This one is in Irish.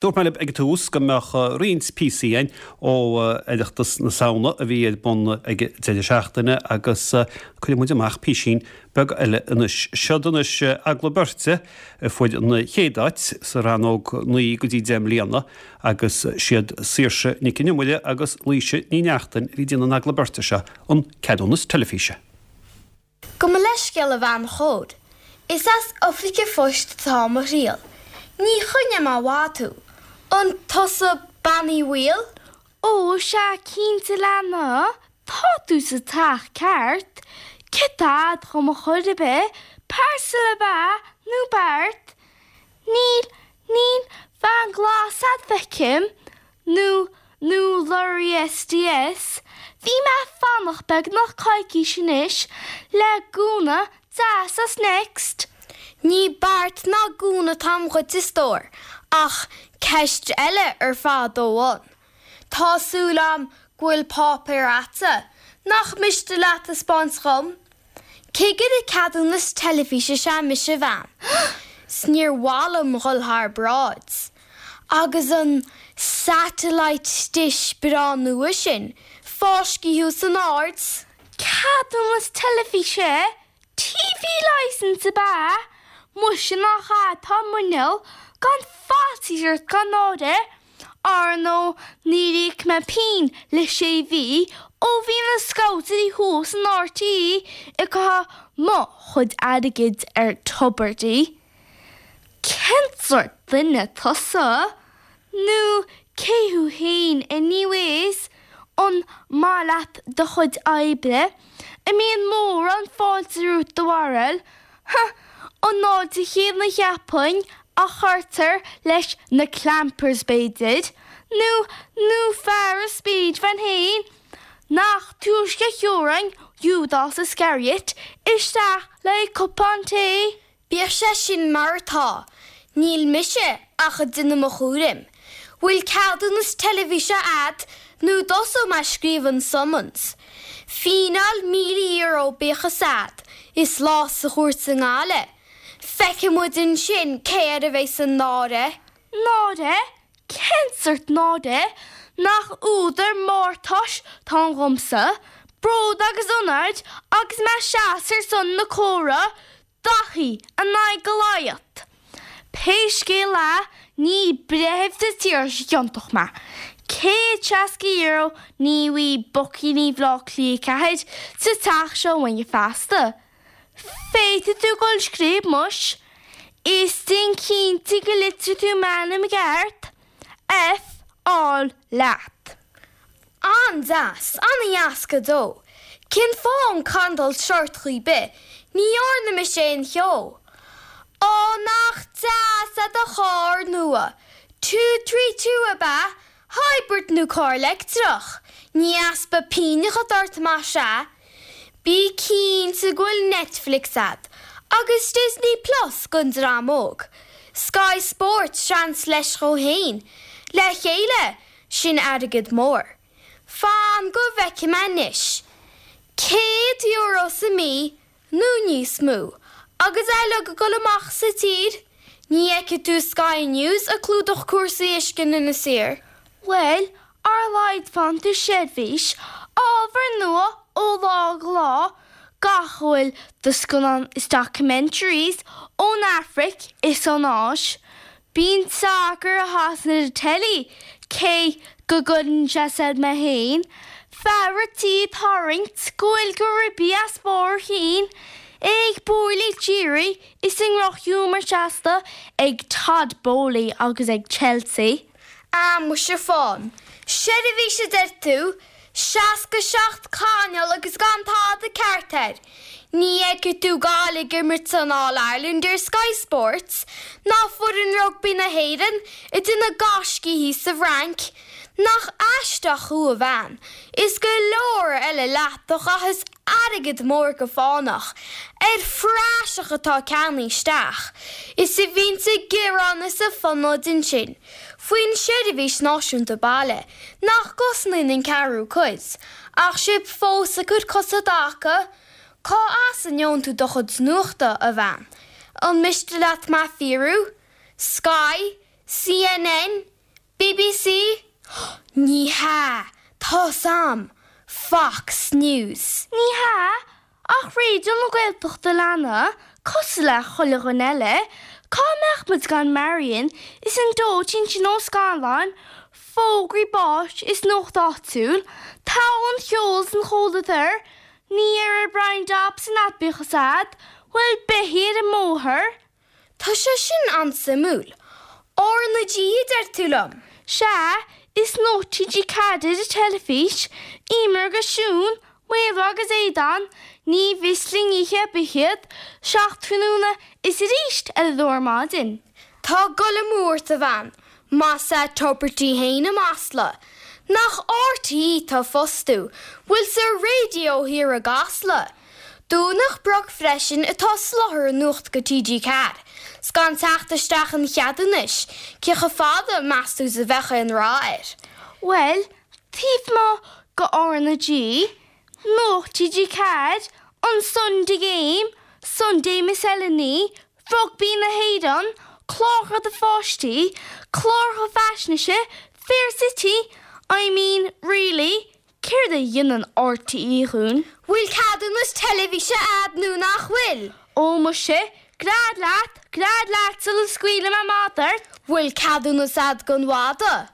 Dúirt mé libh ag an tús go mbeadh roinnt píosaí againn ó Oireachtas na Samhna a bhí ar bun ag an deireadh seachtaine agus cuirfidh muid amach písín beag eile anois. Siod anois Eagla Beirte a fuair an chéad áit sa rannóg 9 go dtí 10 mbliana agus siad Saoirse Nic an Iomaire agus Laoise Ní Neachtain a bhí ag déanamh an eagla beirte seo an ceadúnas teilifíse. Gabh mo leithscéal a bhean chóir. Is as oifig an phoist atá mo thriall. Ní choinneoidh mé i bhfad thú. An tusa Bean Uí Bhaoill? Ó, sea cinnte a leana, tá tú sa teach ceart. Céard tá a'd dhom ar chor ar bith, parcel ab ea nó beart? Níl, níl veain glas a'd feicim, nó nó lorry SDS, bhí mé ag fanacht beagnach coicís anois le gúna deas as Next. Ní beart ná gúna atáim dhuit a stór, ach ceist eile ar fad ó bhun. Tá súil a'm go bhfuil páipéar a'dsa nach miste leat a 'speáint dhom. Cigire ceadúnas teilifíse is ea mise a bhean, 's níor mhaith liom dhul thar bráid. Agus an satellite dish breá nua sin fáiscthe thuas in ard. Ceadúnas teilifíse? TV licence ab ea? Muise nach a'd tá muineál gan faitíos ort gan náire. Ar ndóigh níor íoc mé pingin le sé mhí ó bhí na scoutairí thuas in RTÉ ag caitheamh mo chuid airgid ar tubairtí. Cén sórt duine tusa? Nó cé thú fhéin anyways? An maith leat do chuid oibre? An mbíonn mórán fáilte romhat do bharúil? Huh! An fháilte chéanna cheapfainn a chuirtear leis na clampers b'fhéidir, nó nó fear an speed van fhéin, nach túisce a thiúrfainn Iúdás Iscariot isteach le haghaidh cupán tae! Bíodh sé sin mar atá, níl mise ach ag déanamh mo chúraim. Bhfuil ceadúnas teilifíse a'd nó an dtosóidh mé ag scríobh an summons? Fíneáil €1,000 bíodh fhios a'd, is lá sa chúirt i nGaillimh. Feicfidh muid ansin cé air a bheas an náire. Náire? Cén sórt náire? Nach údar mórtais atá ann dhomsa, bród agus onóir agus mé ag seasamh ar son na córa, Daithí in aghaidh Goliath. Pé scéal é, ní breitheamh sa tír seo ciontach mé. €160 ní bhfaighidh boicíní Bhaile Átha Cliath 4 sa teach seo againne feasta. Féadfaidh tú dul ag scríobh muis. Is déan cinnte go litreoidh tú m'ainm i gceart. F áil leat. An-deas, an-dheas go deo. Cén fáth an cantal seort chaoi bith, ní dhearna mise aon cheo. Á nach deas é do charr nua. Two tree two ab ea? Hybrid nó carr leictreach? Ní easpa pínneacha atá ort más ea. Bí cinnte go bhfuil Netflix a'd agus Disney Plus don dream óg. Sky Sports seans leis dhó fhéin. Le chéile, sin airgead mór. Fan go bhfeicfidh mé anois. €100 sa mí nó níos mó agus é uilig ag dul amach sa tír. Ní fheicfidh tú Sky News ag clúdach cúrsaí uisce in Inis Oírr. Bhuel, ar a laghad faigheann tú seirbhís, ábhar nua ó lá go lá, gach a bhfuil de scannáin is documentaries ón Afraic is ón Áis. Bíonn sacar i Shasana ar an teilí, cé go gcuireann sé soir mé féin, fear an tí ag tarraingt go bhfuil go ribí as barr a chinn, é ag bualadh d'iarraidh is i ndrochghiúmar seasta ag Todd Boehly agus ag Chelsea. Ah muise fán seirbhís a deir tú? 67 cainéal agus gan tada ceart air. Ní fheicfidh tú Gaillimh ag imirt san All Ireland ar Sky Sports, ná foireann rugbaí na hÉireann ag déanamh gaiscí thíos sa bhFrainc. Nach aisteach thú a bhean, is go leor eile leat a chaitheas airgead mór go fánach ar phraiseach atá ceannaithe isteach, is a bhíonns ag gearán is ag fonóid ansin faoin seirbhís náisiúnta baile nach gcosnaíonn an ceathrú cuid, ach sibh fós ag cur cos i dtaca. Cá as a ngeobhann tú do chuid nuachta, a bhean? An miste leat mé a fhiafraí? Sky? CNN? BBC? Ní hea! Tá's a'm! Fox News! Ní hea, ach Raidió na Gaeltachta a leana, cosúil le chuile dhuine eile, cá mbeadh muid gan Marion is an dóitín sin ó scannáin, fógraí báis is nuacht áitiúil, togha an cheoil is an chomhluadair, ní ar Brian Dobson a'd bíodh fhios a'd, bhfuil beithígh ar an mbóthar? Tá sé sin an-suimiúil. R na G a deir tú liom? Sea, is Nuacht TG4 ar an teilifís, Eimear agus Siún, Maolra agus Aodán, ní mhios linn oíche ar bith iad, 7 tráthnóna is arís ar a dó ar maidin. Tá gol amú ort a bhean, más ea tabhair di fhéin a masla. Nach RTÉ tá fostú, bhfuil sa raidió thiar i gCasla? Domhnach Broc freisin atá soláthar an nuacht go TG4. 'S gan teacht isteach an cheadúnais, cé chomh fada meas tú is a bheadh aon rath air? Bhuel, taobh amuigh go R na G, Nuacht TG4, an Sunday Game, Sunday Miscellany, Rugbaí na hÉireann, cláracha do pháistí, cláracha faisnéise, Fair City, I mean, really, céard a dhéanann RTÉ dhúinn? Bhfuil ceadúnas teilifíse a'd nó nach bhfuil? Ó muise, gread leat, gread leat sula scaoilfidh mé madadh ort! Bhfuil ceadúnas a'd gon mhadadh?